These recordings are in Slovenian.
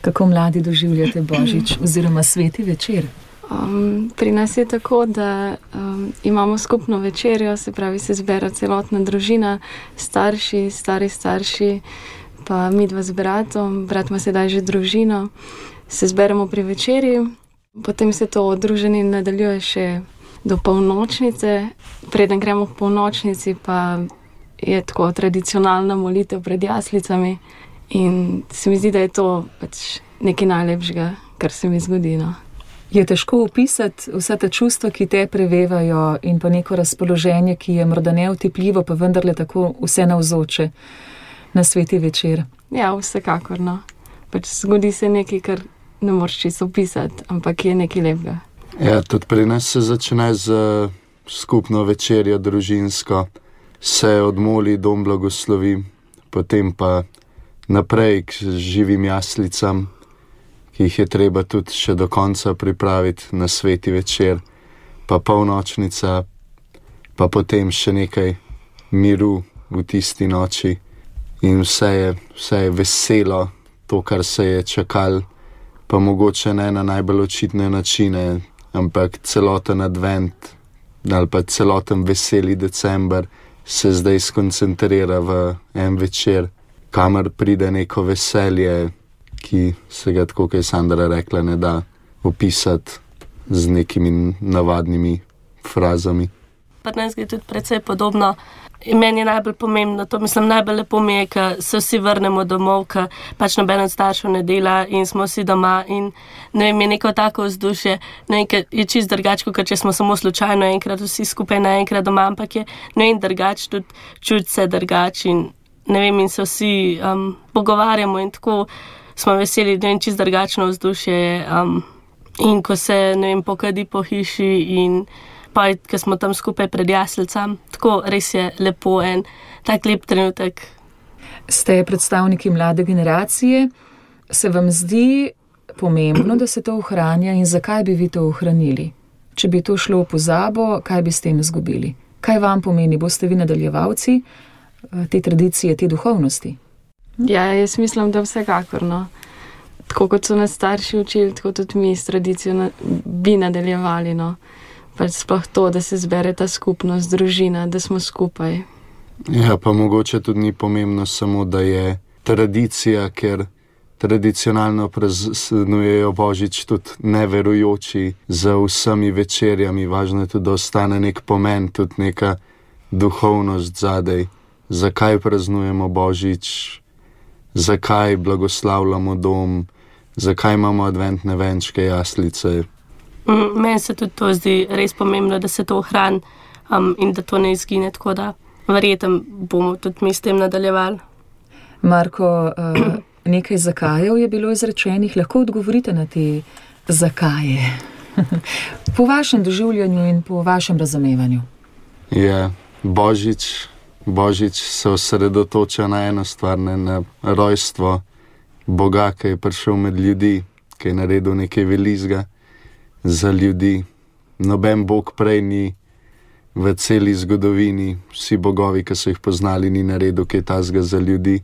Kako mladi doživljate Božič oziroma sveti večer? Pri nas je tako, da imamo skupno večerjo, se pravi, se zbera celotna družina, starši, stari starši, pa midva z bratom. Brat ima sedaj že družino. Se zberemo pri večerji, potem se to druženje nadaljuje še do polnočnice. Preden gremo k polnočnici, pa je tako tradicionalna molitev pred jaslicami. In se mi zdi, da je to pač nekaj najlepšega, kar se mi zgodi, no. Je težko opisati vsa ta čustva, ki te prevevajo, in pa neko razpoloženje, ki je morda neotipljivo, pa vendarle tako vse navzoče na sveti večer? Ja, vsekakor, no. Pač zgodi se nekaj, kar ne moreš čisto opisati, ampak je nekaj lepega. Ja, tudi pri nas se začne z skupno večerjo družinsko, se odmoli, dom blagoslovi, potem pa naprej k živim jaslicam, ki jih je treba tudi še do konca pripraviti na sveti večer, pa polnočnica, pa potem še nekaj miru v tisti noči. In vse je veselo, to, kar se je čakalo, pa mogoče ne na najbolj očitne načine, ampak celoten advent ali pa celoten veseli december se zdaj skoncentrira v en večer, kamor pride neko veselje, ki se ga, tako kot je Sandra rekla, ne da opisati z nekimi navadnimi frazami. Pri nas je tudi precej podobno. In meni je najbolj pomembno, to mislim, najbolj lepo mi je, ko se vsi vrnemo domov, ko pač noben od staršev ne dela in smo vsi doma in ne vem, je neko tako vzdušje, ne vem, je čisto drugače, kot če smo samo slučajno enkrat vsi skupaj naenkrat doma, ampak je ne vem drugače, tudi čuti se drugače in ne vem, in se vsi pogovarjamo in tako smo veseli, ne vem, čisto drugačno vzdušje in ko se, ne vem, pokadi po hiši in pa, ko smo tam skupaj pred jaslicam, tako res je lepo en tak lep trenutek. Ste predstavniki mlade generacije, se vam zdi pomembno, da se to ohranja in zakaj bi vi to ohranili? Če bi to šlo v pozabo, kaj bi s tem izgubili? Kaj vam pomeni? Boste vi nadaljevalci te tradicije, te duhovnosti? Ja, jaz mislim, da vsekakor, no. Tako kot so nas starši učili, tako tudi mi s tradicijo bi nadaljevali, no. Pač sploh to, da se zbere ta skupnost, družina, da smo skupaj. Ja, pa mogoče tudi ni pomembno samo, da je tradicija, ker tradicionalno praznujejo Božič tudi neverujoči za vsemi večerjami. Važno je tudi, da ostane nek pomen, tudi neka duhovnost zadej. Zakaj praznujemo Božič? Zakaj blagoslavljamo dom, zakaj imamo adventne venčke, jaslice. Meni se tudi to zdi res pomembno, da se to ohrani in da to ne izgine, tako da verjetno bomo tudi mi s tem nadaljevali. Marko, nekaj zakajev je bilo izrečenih, lahko odgovorite na te zakaje? Po vašem doživljanju in po vašem razumevanju. Ja, Božič se osredotoča na eno stvar, na rojstvo Boga, ki je prišel med ljudi, ki je naredil nekaj velikega za ljudi. Noben Bog prej ni v celi zgodovini, vsi bogovi, ki so jih poznali, ni naredil kaj takega za ljudi.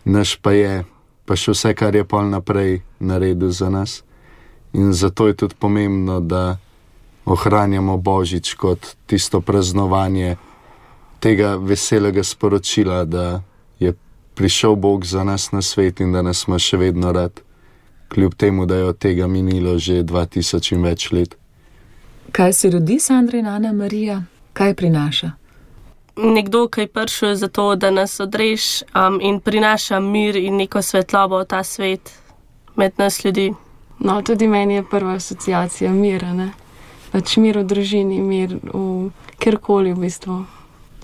Naš pa je, pa še vse, kar je pol naprej naredil za nas. In zato je tudi pomembno, da ohranjamo Božič kot tisto praznovanje tega veselega sporočila, da je prišel Bog za nas na svet in da nas ima še vedno rad, kljub temu, da je od tega minilo že 2000 in več let. Kaj se rodi, Sandra in Ana Marija? Kaj prinaša? Nekdo, ki je prišel za to, da nas odreš in prinaša mir in neko svetlobo v ta svet med nas ljudi. No, tudi meni je prva asociacija mira, ne? Pač mir v družini, mir v kjerkoli v bistvu.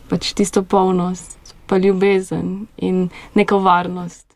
Pač tisto polnost, pa ljubezen in neko varnost.